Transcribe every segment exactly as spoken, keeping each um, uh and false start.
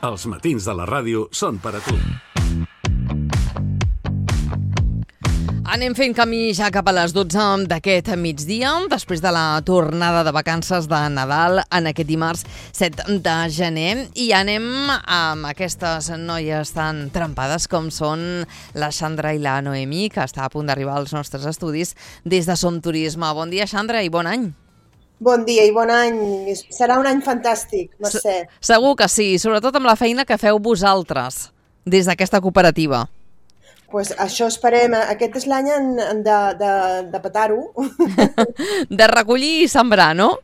Els matins de la ràdio són per a tu. Anem fent camí ja cap a les dotze d'aquest migdia, després de la tornada de vacances de Nadal en aquest dimarts set de gener. I anem amb aquestes noies tan trempades com són la Xandra i la Noemí, que està a punt d'arribar als nostres estudis des de Som Turisme. Bon dia, Xandra, i bon any. Bon dia i bon any. Serà un any fantàstic, Mercè. Segur que sí, sobretot amb la feina que feu vosaltres des d'aquesta cooperativa. Pues això esperem. Aquest és l'any de, de, de petar-ho. De recollir i sembrar, no?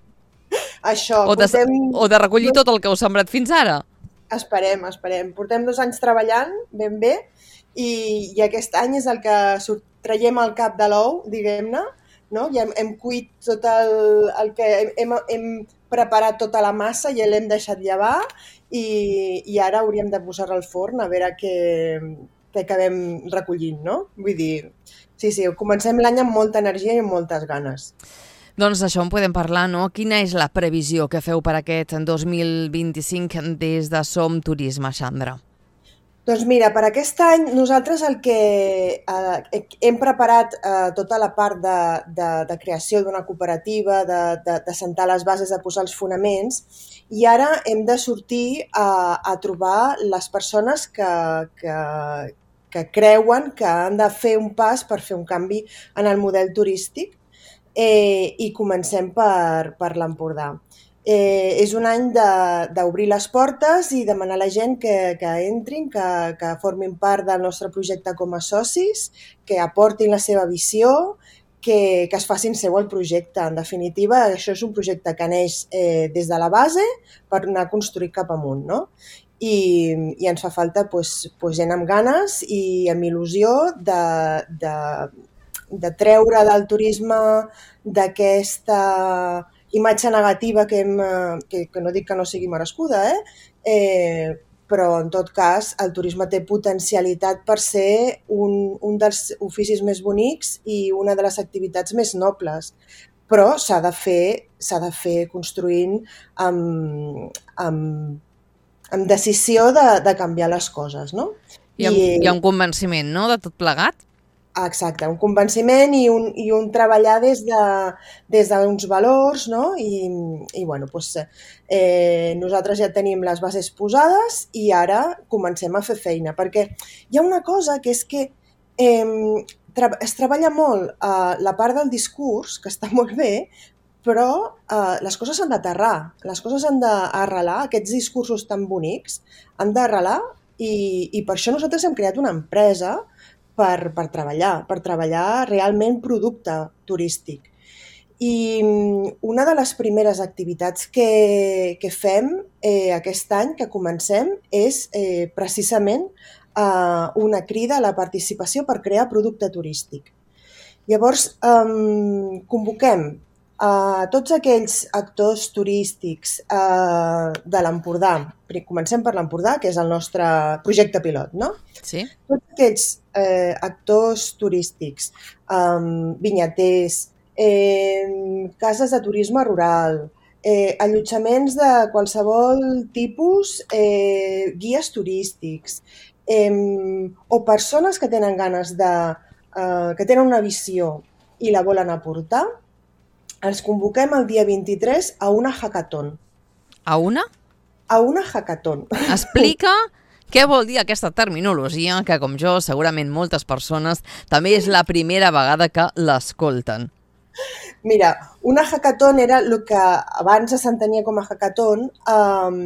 Això. O de, portem... o de recollir tot el que heu sembrat fins ara. Esperem, esperem. Portem dos anys treballant ben bé i, i aquest any és el que surt, traiem el cap de l'ou, diguem-ne. No? Ja hem, hem cuit tot el, el que hem, hem preparat tota la massa i l'hem deixat llevar i, i ara hauríem de posar-la al forn a veure què, què acabem recollint, no? Vull dir, sí, sí, comencem l'any amb molta energia i amb moltes ganes. Doncs d'això en podem parlar, no? Quina és la previsió que feu per aquest dos mil vint-i-cinc des de Som Turisme, Xandra? Doncs mira, per aquest any nosaltres el que eh, hem preparat eh, tota la part de, de, de creació d'una cooperativa, de, de, de sentar les bases, de posar els fonaments, i ara hem de sortir a, a trobar les persones que, que, que creuen que han de fer un pas per fer un canvi en el model turístic eh, i comencem per, per l'Empordà. Eh, és un any d'obrir les portes i demanar a la gent que, que entrin, que, que formin part del nostre projecte com a socis, que aportin la seva visió, que, que es facin seu el projecte. En definitiva, això és un projecte que neix eh, des de la base per anar construït cap amunt, no? I, i ens fa falta pues, pues, gent amb ganes i amb il·lusió de, de, de treure del turisme d'aquesta imatge negativa que, hem, que, que no dic que no sigui merescuda, eh? Eh, però en tot cas el turisme té potencialitat per ser un, un dels oficis més bonics i una de les activitats més nobles, però s'ha de fer, s'ha de fer construint amb, amb, amb decisió de, de canviar les coses, no? Hi ha, I, hi ha un convenciment, no?, de tot plegat? Exacte, un convenciment i un, i un treballar des de, des d'uns valors, no? I, i bueno, doncs, eh, nosaltres ja tenim les bases posades i ara comencem a fer feina, perquè hi ha una cosa que és que eh, tra es treballa molt eh, la part del discurs, que està molt bé, però eh, les coses han d'aterrar, les coses han d'arrelar, aquests discursos tan bonics han d'arrelar i, i per això nosaltres hem creat una empresa Per, per treballar, per treballar realment producte turístic. I una de les primeres activitats que, que fem eh, aquest any, que comencem, és eh, precisament eh, una crida a la participació per crear producte turístic. Llavors, eh, convoquem a tots aquells actors turístics eh, de l'Empordà. Comencem per l'Empordà, que és el nostre projecte pilot, no? Sí. Tots aquells eh, actors turístics, eh, vinyaters, eh, cases de turisme rural, eh, allotjaments de qualsevol tipus, eh, guies turístics, eh, o persones que tenen ganes de, eh, que tenen una visió i la volen aportar, els convoquem el dia vint-i-tres a una hackathon. A una? A una hackathon. Explica què vol dir aquesta terminologia, que com jo segurament moltes persones també és la primera vegada que l'escolten. Mira, una hackathon era el que abans s'entenia com a hackathon, um,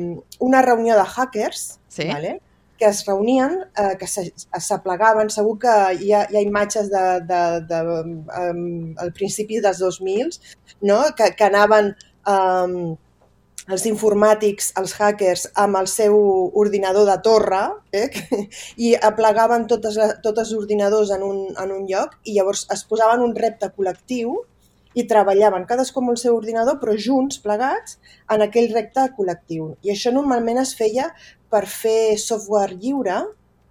una reunió de hackers, sí? Vale? Que es reunien, eh, que s'aplegaven, segur que hi ha, hi ha imatges de, de, de, um, al principi dels dos mil, no? que, que anaven um, els informàtics, els hackers, amb el seu ordinador de torre, eh? i aplegaven totes, tots els ordinadors en un, en un lloc i llavors es posaven un repte col·lectiu i treballaven cadascú amb el seu ordinador, però junts, plegats, en aquell repte col·lectiu. I això normalment es feia per fer software lliure,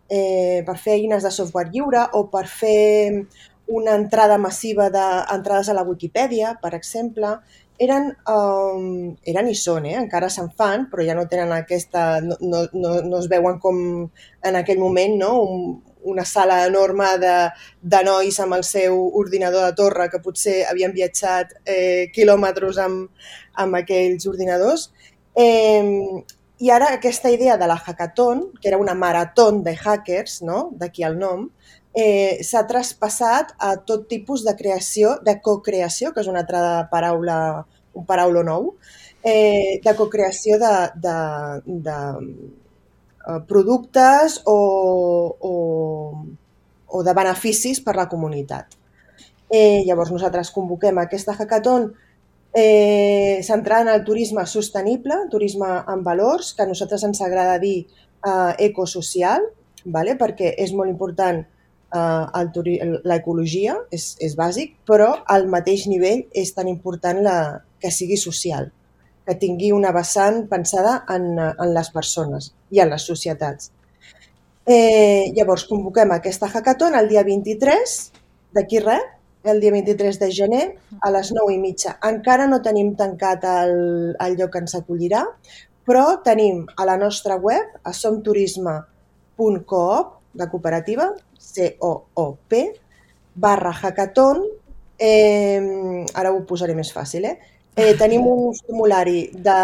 eh, per fer eines de software lliure o per fer una entrada massiva d'entrades a la Wikipedia, per exemple, eren, um, eren i són, eh? encara se'n fan, però ja no tenen aquesta, no, no, no, no es veuen com en aquell moment, no? Un, una sala enorme de, de nois amb el seu ordinador de torre, que potser havien viatjat eh, quilòmetres amb, amb aquells ordinadors. Eh, I ara aquesta idea de la hackathon, que era una marató de hackers, no? D'aquí el nom, eh, s'ha traspassat a tot tipus de creació, de cocreació, que és una altra paraula, un paraula nou, eh, de cocreació de, de, de uh, productes o, o, o de beneficis per la comunitat. Eh, llavors nosaltres convoquem aquesta hackathon Eh, centrada en el turisme sostenible, turisme amb valors, que a nosaltres ens agrada dir eh, ecosocial, vale? Perquè és molt important eh, l'ecologia, és, és bàsic, però al mateix nivell és tan important la, que sigui social, que tingui una vessant pensada en, en les persones i en les societats. Eh, llavors convoquem aquesta hackathon el dia vint-i-tres, d'aquí res, el dia vint-i-tres de gener, a les nou i mitja. Encara no tenim tancat el, el lloc que ens acollirà, però tenim a la nostra web, a somturisme punt coop, de cooperativa, C O O P, barra hackathon, eh, ara ho posaré més fàcil, eh? Eh, tenim un formulari de...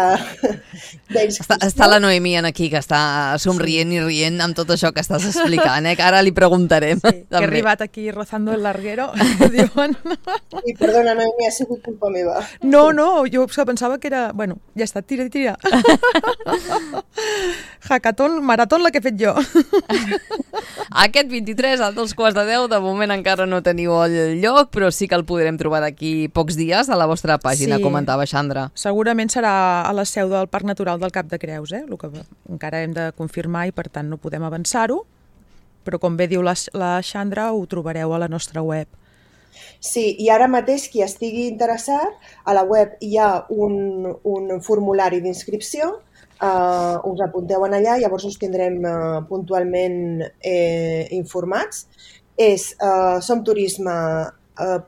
Està, està la Noemí aquí, que està somrient sí. i rient amb tot això que estàs explicant, eh? Que ara li preguntarem. Sí, que he arribat aquí rozando el larguero, diuen. I perdona, Noemí, ha sigut culpa meva. No, no, jo pensava que era... Bueno, ja està, tira, tira. Hackathon, marató la que he fet jo. Aquest vint-i-tres a dos quarts de deu, de moment encara no teniu el lloc, però sí que el podrem trobar d'aquí pocs dies a la vostra pàgina, sí. Comentava Xandra. Segurament serà a la seu del Parc Natural del Cap de Creus, eh? El que encara hem de confirmar i per tant no podem avançar-ho, però com bé diu la, la Xandra, ho trobareu a la nostra web. Sí, i ara mateix qui estigui interessat, a la web hi ha un, un formulari d'inscripció. Uh, us apunteu en allà, llavors us tindrem uh, puntualment eh, informats. És uh, somturisme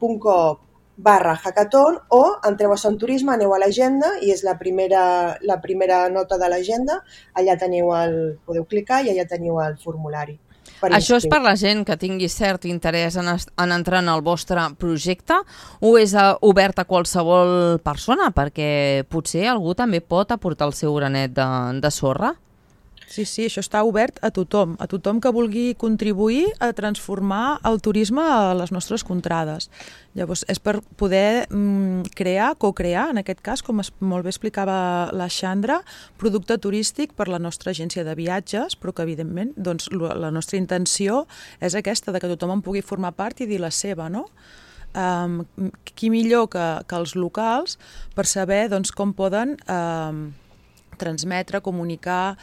punt coop barra hackathon o entreu a Somturisme, aneu a l'agenda i és la primera, la primera nota de l'agenda. Allà teniu el, podeu clicar i allà teniu el formulari. Això és per la gent que tingui cert interès en, en entrar en el vostre projecte o és a, obert a qualsevol persona? Perquè potser algú també pot aportar el seu granet de, de sorra? Sí, sí, això està obert a tothom, a tothom que vulgui contribuir a transformar el turisme a les nostres contrades. Llavors, és per poder mm, crear, co-crear, en aquest cas, com es, molt bé explicava la Xandra, producte turístic per la nostra agència de viatges, però que, evidentment, doncs, la nostra intenció és aquesta, de que tothom en pugui formar part i dir la seva, no? Um, qui millor que, que els locals per saber doncs, com poden um, transmetre, comunicar,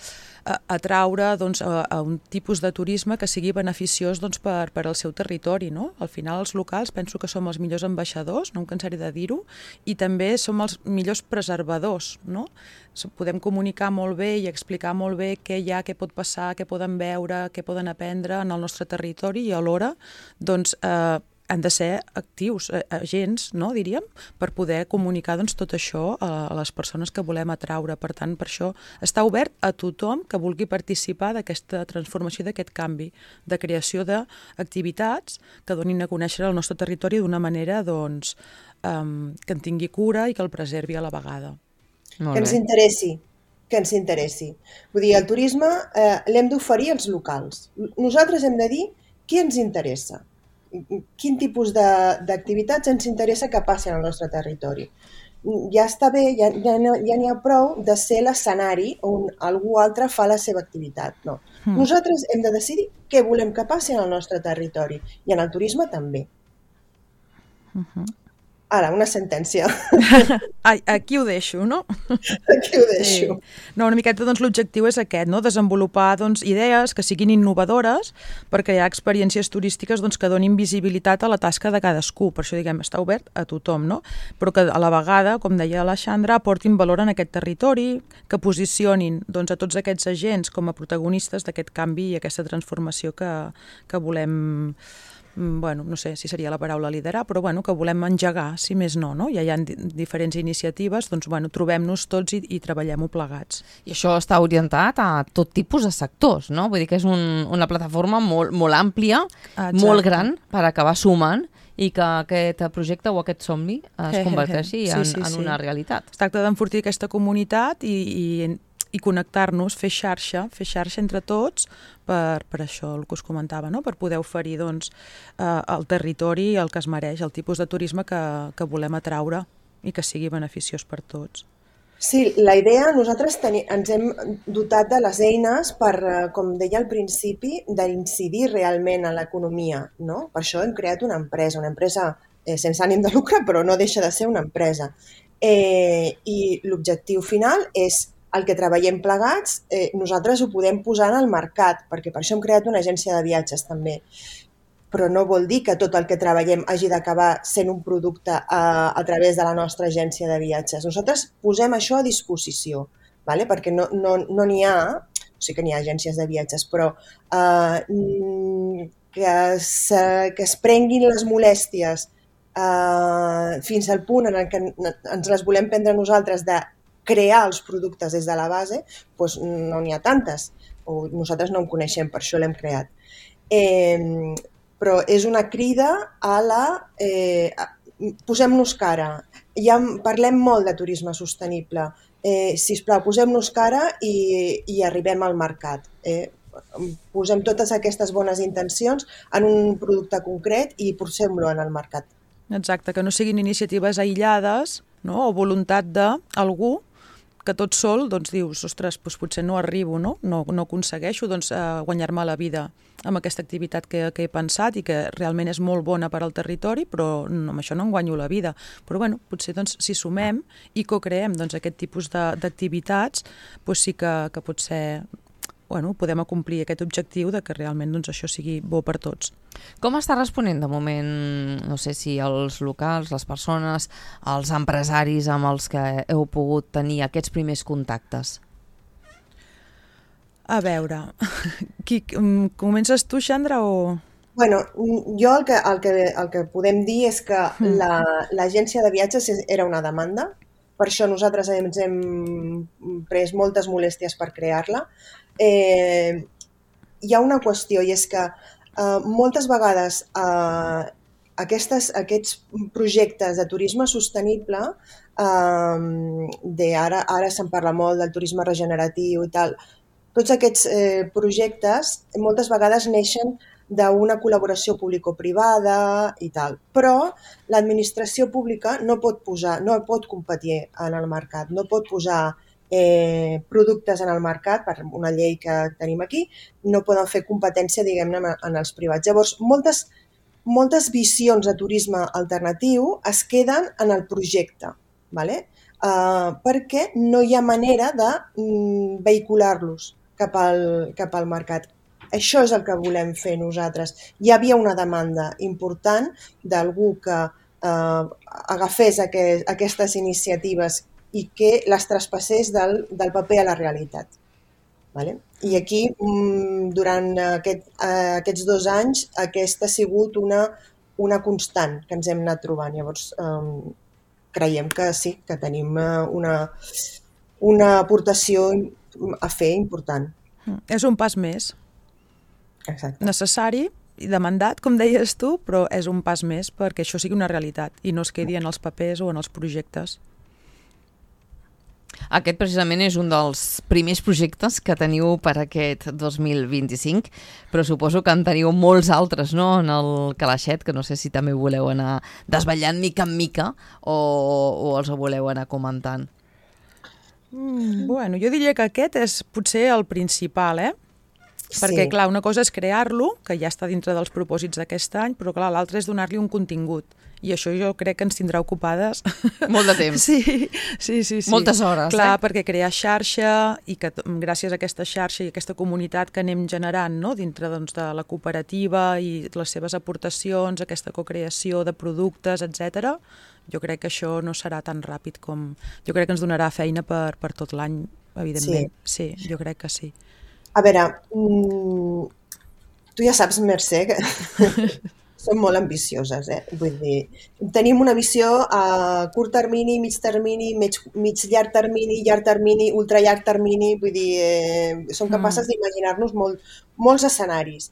atraure doncs, a, a un tipus de turisme que sigui beneficiós doncs, per, per al seu territori. No? Al final els locals penso que som els millors ambaixadors, no em cansaré de dir-ho, i també som els millors preservadors. No? Podem comunicar molt bé i explicar molt bé què hi ha, què pot passar, què poden veure, què poden aprendre en el nostre territori i alhora doncs, eh, han de ser actius, agents, no, diríem, per poder comunicar doncs, tot això a les persones que volem atraure. Per tant, per això està obert a tothom que vulgui participar d'aquesta transformació, d'aquest canvi, de creació d'activitats que donin a conèixer el nostre territori d'una manera doncs, um, que en tingui cura i que el preservi a la vegada. Que ens interessi, que ens interessi. Vull dir, el turisme eh, l'hem d'oferir als locals. Nosaltres hem de dir qui ens interessa. Quin tipus d'activitats ens interessa que passin al nostre territori. Ja està bé, ja n'hi ja, ja ha prou de ser l'escenari on algú altre fa la seva activitat. No. Mm. Nosaltres hem de decidir què volem que passi al nostre territori i en el turisme també. Mm-hmm. Ara, una sentència. Aquí ho deixo, no? Aquí ho deixo. Sí. No, una miqueta doncs, l'objectiu és aquest, no? Desenvolupar doncs, idees que siguin innovadores per crear experiències turístiques doncs, que donin visibilitat a la tasca de cadascú. Per això diguem, està obert a tothom, no? Però que a la vegada, com deia la Xandra, aportin valor en aquest territori, que posicionin doncs, a tots aquests agents com a protagonistes d'aquest canvi i aquesta transformació que, que volem bueno, no sé si seria la paraula liderar, però bueno, que volem engegar, si més no, no? Ja hi ha di diferents iniciatives, doncs bueno, trobem-nos tots i, i treballem-ho plegats. I això està orientat a tot tipus de sectors, no? Vull dir que és un, una plataforma molt, molt àmplia, Exacte. molt gran, per acabar sumant i que aquest projecte o aquest somni es converteixi en, sí, sí, en una sí. realitat. Es tracta d'enfortir aquesta comunitat i, i, i connectar-nos, fer xarxa, fer xarxa entre tots per, per això el que us comentava, no? Per poder oferir doncs, eh, el territori el que es mereix, el tipus de turisme que, que volem atraure i que sigui beneficiós per tots. Sí, la idea, nosaltres teni, ens hem dotat de les eines per, com deia al principi, d'incidir realment en l'economia, no? Per això hem creat una empresa, una empresa eh, sense ànim de lucre, però no deixa de ser una empresa. Eh, I l'objectiu final és el que treballem plegats, eh, nosaltres ho podem posar en el mercat, perquè per això hem creat una agència de viatges també. Però no vol dir que tot el que treballem hagi d'acabar sent un producte a, a través de la nostra agència de viatges. Nosaltres posem això a disposició, vale? Perquè no n'hi no, no ha, o sigui que n'hi ha agències de viatges, però eh, que, se, que es prenguin les molèsties eh, fins al punt en què ens les volem prendre nosaltres de crear els productes des de la base, doncs no n'hi ha tantes, o nosaltres no en coneixem, per això l'hem creat. Eh, però és una crida a la... Eh, posem-nos cara. Ja parlem molt de turisme sostenible. Eh, sisplau, posem-nos cara i, i arribem al mercat. Eh, posem totes aquestes bones intencions en un producte concret i posem-lo en el mercat. Exacte, que no siguin iniciatives aïllades, no? O voluntat d'algú que tot sol doncs, dius, ostres, doncs potser no arribo, no, no, no aconsegueixo doncs, eh, guanyar-me la vida amb aquesta activitat que, que he pensat i que realment és molt bona per al territori, però no, amb això no em guanyo la vida. Però bueno, potser doncs, si sumem i co-creem doncs, aquest tipus d'activitats, doncs sí que, que potser bueno, podem acomplir aquest objectiu de que realment doncs, això sigui bo per tots. Com està responent de moment, no sé si els locals, les persones, els empresaris amb els que heu pogut tenir aquests primers contactes? A veure, qui, comences tu, Xandra, o...? Bueno, jo el que, el que, el que podem dir és que l'agència de viatges era una demanda, per això nosaltres ens hem pres moltes molèsties per crear-la. Eh, hi ha una qüestió i és que eh, moltes vegades eh, aquestes, aquests projectes de turisme sostenible, eh, de ara, ara se'n parla molt del turisme regeneratiu i tal, tots aquests eh, projectes moltes vegades neixen d'una col·laboració público-privada i tal, però l'administració pública no pot posar, no pot competir en el mercat, no pot posar eh, productes en el mercat, per una llei que tenim aquí, no poden fer competència, diguem-ne, en els privats. Llavors, moltes, moltes visions de turisme alternatiu es queden en el projecte, ¿vale? uh, perquè no hi ha manera de mm, vehicular-los cap al, cap al mercat. Això és el que volem fer nosaltres. Hi havia una demanda important d'algú que eh, agafés aquest, aquestes iniciatives i que les traspassés del, del paper a la realitat. Vale? I aquí, durant aquest, eh, aquests dos anys, aquesta ha sigut una, una constant que ens hem anat trobant. Llavors, eh, creiem que sí, que tenim una, una aportació a fer important. És un pas més. Exacte. Necessari i demandat, com deies tu, però és un pas més perquè això sigui una realitat i no es quedi en els papers o en els projectes. Aquest precisament és un dels primers projectes que teniu per aquest dos mil vint-i-cinc, però suposo que en teniu molts altres, no?, en el calaixet, que no sé si també voleu anar desvetllant mica en mica o, o els voleu anar comentant. Mm, bueno, jo diria que aquest és potser el principal, eh? Perquè, sí. clar, una cosa és crear-lo, que ja està dintre dels propòsits d'aquest any, però, clar, l'altra és donar-li un contingut. I això jo crec que ens tindrà ocupades... Molt de temps. Sí, sí, sí. sí. Moltes hores, clar, eh? Clar, perquè crear xarxa i que gràcies a aquesta xarxa i aquesta comunitat que anem generant, no?, dintre doncs, de la cooperativa i les seves aportacions, aquesta cocreació de productes, etcètera, jo crec que això no serà tan ràpid com... Jo crec que ens donarà feina per, per tot l'any, evidentment. Sí. sí, jo crec que sí. A veure, mmm, tu ja saps, Mercè, que són molt ambicioses, eh? Vull dir, tenim una visió a curt termini, mig termini, mig, mig llarg termini, llarg termini, ultra llarg termini, vull dir, eh, som capaces mm. d'imaginar-nos molt, molts escenaris.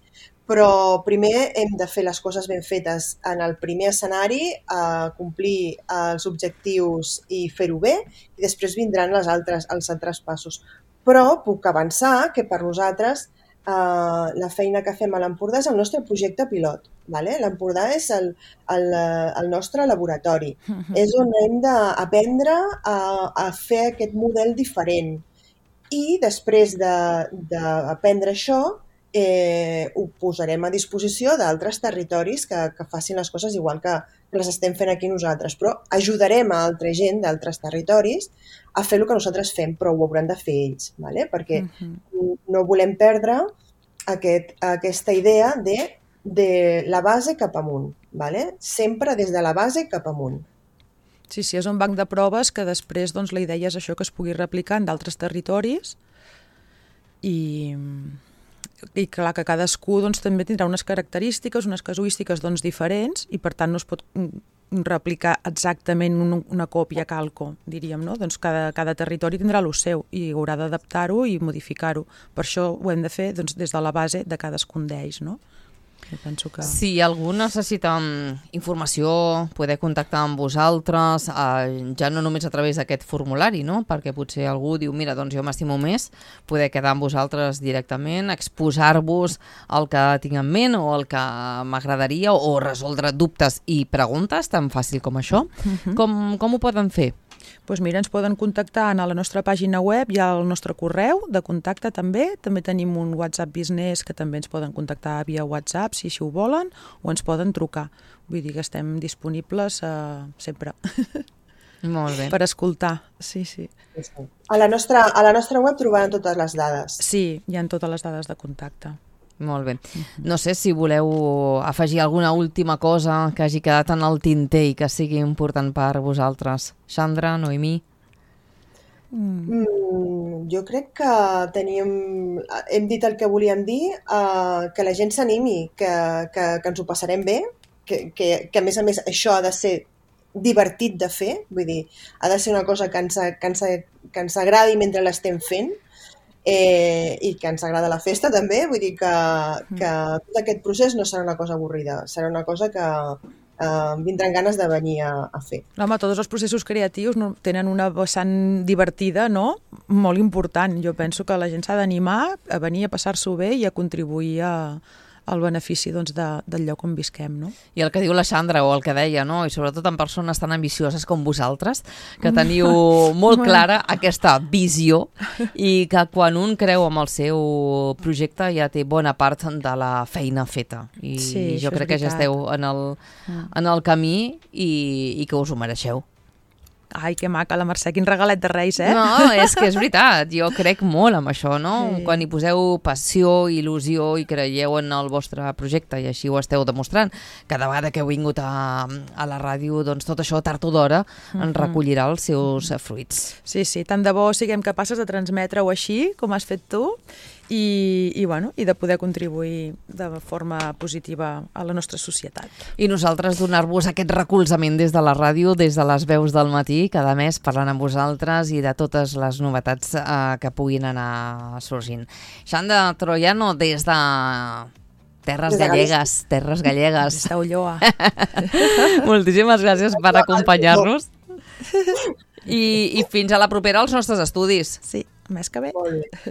Però primer hem de fer les coses ben fetes en el primer escenari, a complir els objectius i fer-ho bé, i després vindran les altres, els altres passos. Però puc avançar que per nosaltres eh, la feina que fem a l'Empordà és el nostre projecte pilot. Vale? L'Empordà és el, el, el nostre laboratori. Uh-huh. És on hem d'aprendre a, a fer aquest model diferent. I després d'aprendre això, Eh, ho posarem a disposició d'altres territoris que, que facin les coses igual que les estem fent aquí nosaltres, però ajudarem a altra gent d'altres territoris a fer el que nosaltres fem, però ho hauran de fer ells, ¿vale? Perquè uh-huh. no volem perdre aquest, aquesta idea de, de la base cap amunt, ¿vale? Sempre des de la base cap amunt. Sí, sí, és un banc de proves que després doncs, la idea és això, que es pugui replicar en d'altres territoris i... i clar que cadascú doncs, també tindrà unes característiques, unes casuístiques doncs, diferents i per tant no es pot replicar exactament un, una còpia calco, diríem, no? Doncs cada, cada territori tindrà el seu i haurà d'adaptar-ho i modificar-ho. Per això ho hem de fer doncs, des de la base de cadascun d'ells, no? Jo penso que... Si algú necessita informació, poder contactar amb vosaltres, eh, ja no només a través d'aquest formulari, no? Perquè potser algú diu, mira, doncs jo m'estimo més poder quedar amb vosaltres directament, exposar-vos el que tinc en ment o el que m'agradaria o resoldre dubtes i preguntes, tan fàcil com això. Uh-huh. Com, com ho poden fer? Doncs mira, ens poden contactar a la nostra pàgina web, hi ha el nostre correu de contacte també, també tenim un WhatsApp Business que també ens poden contactar via WhatsApp si així ho volen, o ens poden trucar. Vull dir que estem disponibles uh, sempre. Molt bé. Per escoltar, sí, sí. A la nostra, a la nostra web trobaran totes les dades. Sí, hi ha totes les dades de contacte. Molt bé. No sé si voleu afegir alguna última cosa que hagi quedat en el tinter i que sigui important per vosaltres. Sandra, Noemí? Mm, jo crec que teníem, hem dit el que volíem dir, uh, que la gent s'animi, que, que, que ens ho passarem bé, que, que, que a més a més això ha de ser divertit de fer, vull dir, ha de ser una cosa que ens, que ens, que ens agradi mentre l'estem fent, Eh, i que ens agrada la festa també, vull dir que, que tot aquest procés no serà una cosa avorrida, serà una cosa que eh, vindran ganes de venir a, a fer. Home, tots els processos creatius no, tenen una vessant divertida, no? Molt important. Jo penso que la gent s'ha d'animar a venir a passar-s'ho bé i a contribuir a, al benefici doncs, de, del lloc on visquem, no? I el que diu la Sandra, o el que deia, no? I sobretot en persones tan ambicioses com vosaltres, que teniu molt clara aquesta visió i que quan un creu en el seu projecte ja té bona part de la feina feta. I sí, jo crec que ja esteu en el, en el camí i, i que us ho mereixeu. Ai, que maca, la Mercè, quin regalet de Reis, eh? No, és que és veritat, jo crec molt en això, no? Sí. Quan hi poseu passió, il·lusió i creieu en el vostre projecte i així ho esteu demostrant, cada vegada que heu vingut a, a la ràdio, doncs tot això tard o d'hora en recollirà els seus fruits. Sí, sí, tant de bo siguem capaces de transmetre-ho així, com has fet tu, i, i, bueno, i de poder contribuir de forma positiva a la nostra societat. I nosaltres donar-vos aquest recolzament des de la ràdio, des de les veus del matí, cada mes parlant amb vosaltres i de totes les novetats eh, que puguin anar sorgint. Sandra Troiano, des de Terres Gallegues, Terres Gallegues. Des d'Ulloa. Moltíssimes gràcies per acompanyar-nos. I, I fins a la propera als nostres estudis. Sí, més que bé.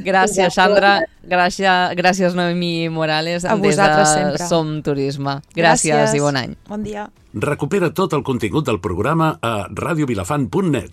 Gràcies, Sandra. Gràcies, gràcies Noemí Morales. A vosaltres sempre. Som Turisme. Gràcies, gràcies i bon any. Bon dia. Recupera tot el contingut del programa a radiovilafant punt net.